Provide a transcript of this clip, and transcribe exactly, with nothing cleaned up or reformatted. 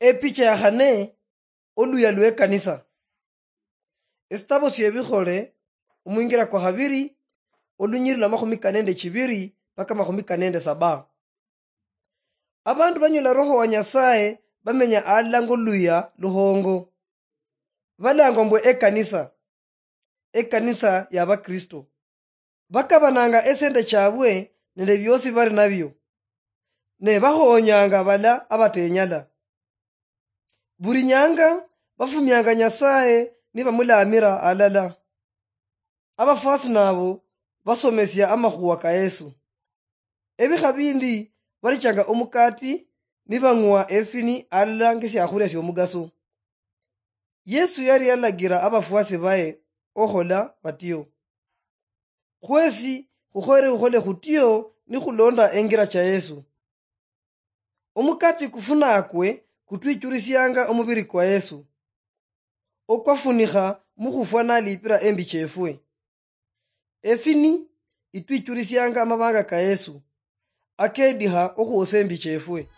Epicha ya khane, oluya lw'ekanisa. Esitabo sy'Ebikhole, omwingira kwa khabiri, olunyiriri lwa makhumi kane nende chibiri mpaka makhumi kane nende saba. Abandu banyola Roho wa Nyasaye bamenya alala ng'oluya luhongo. Balangwa mbwe ekanisa, ekanisa ya Bakristo. Bakabananga esente chabwe nende biosi bari nabio, ne bakhonyanga bala abatenyala. Buli nyanga bafumianga Nyasaye nibamulamira alala. Abafuasi nabo basomesia amakhuwa ka Yesu. Ebikha bindi balichanga omukati nibang'wa efini alala ngesiakhulia siomugaso. Yesu yali yalagira abafuasi baye okhola batio. Khwesi khukhoyere khukhole khutio nikhulonda engira cha Yesu. Omukati kufunakwe kutwichurisianga omubiri kwa Yesu, okwafunikha mukhufwa nalipira embi chefwe. Efini itwichurisianga amabanga ka Yesu, akediha okhuosa embi chefwe.